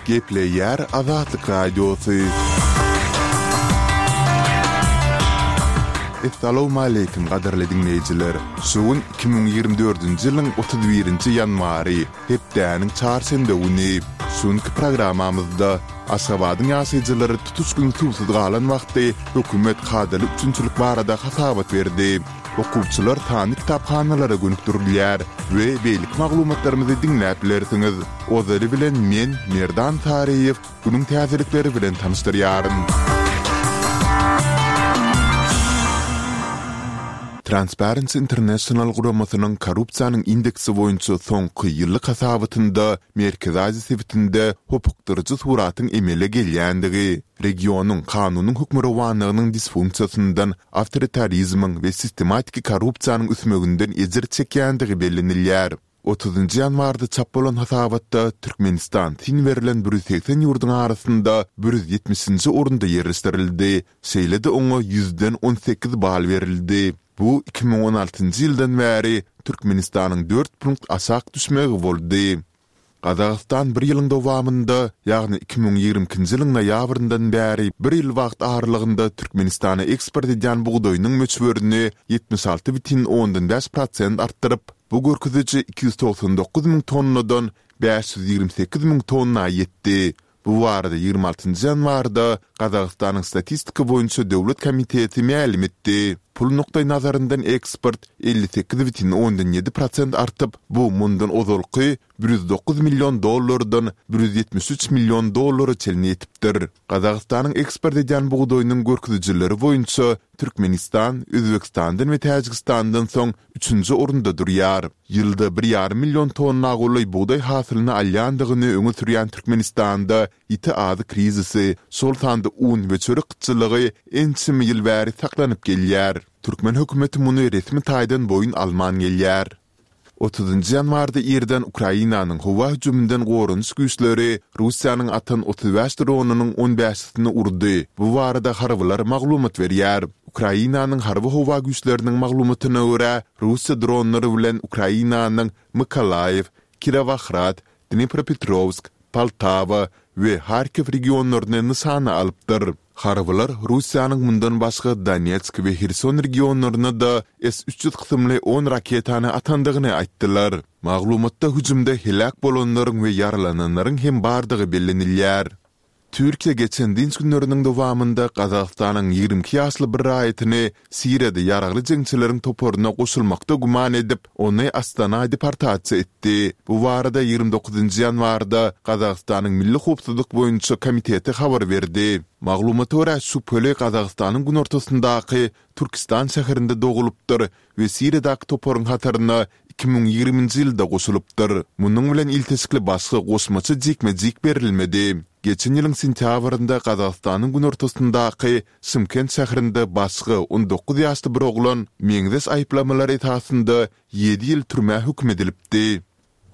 Gepleýär Azatlyk Radiosy. Essalawmaleýkim gadyrly diňleýjiler! Şu gün 2024-nji ýylyň 31-nji ýanwary, hepdäniň çarşenbe güni. Şu günki programmamyzda Aşgabadyň ýaşaýjylary tutuş gün suwsuz galan wagty hökümet kadaly üpjünçilik barada hasabat berdi. Okuwçylar sanly kitaphanalara gönükdirilýär we beýleki maglumatlarymyzy diňläp bilersiňiz. Ozaly bilen men, Merdan Saryýew, günüň täzelikleri bilen tanyşdyrýaryn. Transparency International guramasynyň korrupsiýanyň indeksi boýunça soňky ýyllyk hasabatynda Merkezi Aziýa sebitinde hopukdyryjy suratyň emele gelýändigi, regionyň kanunyň hökmürowanlygynyň disfunksiýasyndan, awtoritarizmiň we sistematiki korrupsiýanyň ösmeginden ejir çekýändigi bellenilýär. Otuzynjy ýanwarda çap bolan hasabatda Türkmenistan syn berlen 180 ýurduň arasynda 170-nji orunda ýerleşdirildi, şeýle-de oňa ýüzden 18 bal berildi. Bu 2016-njy ýyldan bäri Türkmenistanyň dört punkt aşak düşmegi boldy. Gazagystan bir ýylyň dowamynda, ýagny 2022-nji ýylyň noýabryndan bäri bir ýyl wagt aralygynda Türkmenistana eksport edýän bugdaýynyň möçberini 76,5 prosent artdyryp, bu görkeziji 299 müň tonnadan 528 müň tonna ýetdi. Bu barada 26-njy ýanwarda Gazagystanyň Statistika boýunça döwlet komiteti mälim etdi. Pul nukdaýnazaryndan eksport 58,7 prosent artyp, bu mundan ozalky 109 million dollardan 173 million dollara çenli ýetipdir. Gazagystanyň eksport edýän bugdaýynyň görkezijileri boýunça Türkmenistan Özbegistandan we Täjigistandan soň üçünji orunda durýar. Ýylda bir ýarym million tonna golaý bugdaý hasylyny alýandygyny öňe sürýän Türkmenistanda ýiti azyk krizisi, şol sanda un we çörek gytçylygy ençeme ýyl bäri saklanyp gelýär. Türkmen hökümeti muny resmi taýdan boýun alman gelýär. Otuzynjy ýanwarda irden Ukrainanyň howa hüjüminden goranyş güýçleri Russiýanyň atan 35 dronynyň on bäşisini urdy. Bu barada harbylar maglumat berýär. Ukrainanyň harby-howa güýçleriniň maglumatyna görä, Russiýa dronlary bilen Ukrainanyň Mykolaýiw, Kirowohrad, Dnipropetrowsk, Poltawa we Harkiw regionlaryny nyşana alypdyr. Harbylar Russiýanyň mundan başga Donetsk we Herson regionlaryna-da S 300 kysymly on raketany atandygyny aýtdylar. Maglumatda hüjümde heläk bolanlaryň we ýaralananlaryň hem bardygy bellenilýär. Türkiýe geçen dynç günleriniň dowamynda Gazagystanyň 22 ýaşly bir raýatyny Siriýada ýaragly jeňçileriň toparyna goşulmakda güman edip, ony Astana deportasiýa etdi. Bu barada 29-njy ýanwarda Gazagystanyň Milli howpsuzlyk boýunça komiteti habar berdi. Maglumata görä, şübheli Gazagystanyň günortasyndaky Türkistan şäherinde dogulypdyr we Siriýadaky toparyň hataryna 2020-nji ýylda goşulypdyr. Munuň bilen ilteşikli başga goşmaça jikme-jik berilmedi. Geçen ýylyň sentýabrynda Gazagystanyň günortasyndaky Şymkent şäherinde başga 19 ýaşly bir oglan meňzeş aýyplamalar esasynda ýedi ýyl türmä höküm edilipdi.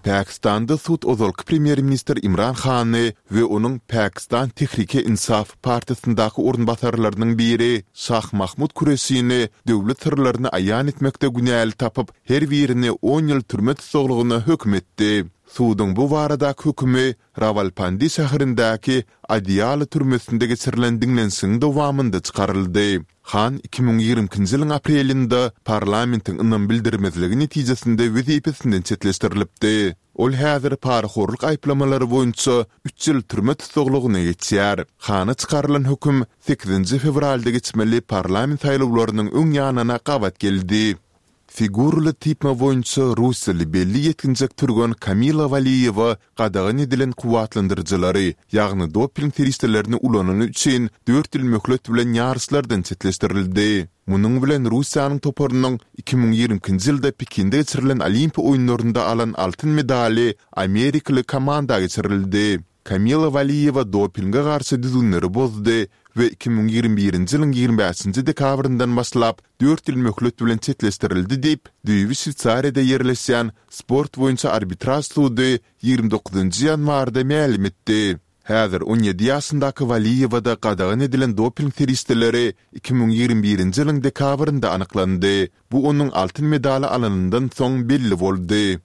Pakistanda sud ozalky premýer-ministr Imran Hany we onuň Pakistan Tehrike-Insaf partiýasyndaky orunbasarlarynyň biri Şah Mahmud Kureşini döwlet syrlaryny aýan etmekde günäli tapyp, her birini on ýyl türme tussaglygyna höküm etdi. Suduň bu baradaky hökümi Rawalpindi şäherindäki Adiala türmesinde geçirilen diňlenişigiň dowamynda çykaryldy. Han 2022-nji ýylyň aprelinde parlamentiň ynam bildirmezligi netijesinde wezipesinden çetleşdirilipdi. Ol häzir parahorluk aýyplamalary boýunça üç ýyl türme tussaglygyna geçýär. Hana çykarylan höküm sekizinji fewralda geçmeli parlament saýlawlarynyň öň ýanyna gabat geldi. Figuraly typma boýunça russiýaly belli ýetginjek türgen Kamila Waliýewa gadagan edilen kuwwatlandyryjylary, ýagny doping serişdelerini ulanany üçin dört ýyl möhlet bilen ýaryşlardan çetleşdirildi. Munuň bilen Russiýanyň toparynyň 2022-nji ýylda Pekinde geçirilen Olimpiýa oýunlarynda alan altyn medaly amerikaly komanda geçirildi. Kamila Waliýewa dopinge garşy düzgünleri bozdy we 2021-nji ýylyň 25-nji dekabryndan başlap dört ýyl möhlet bilen çetleşdirildi diýip, düýbi Şweýsariýada ýerleşýän Sport boýunça arbitraž sudy 29-njy ýanwarda mälim etdi. Häzir 17 ýaşyndaky Waliýewada gadagan edilen doping serişdeleri 2021-nji ýylyň dekabrynda anyklandy. Bu onuň altyn medaly alanyndan soň belli boldy.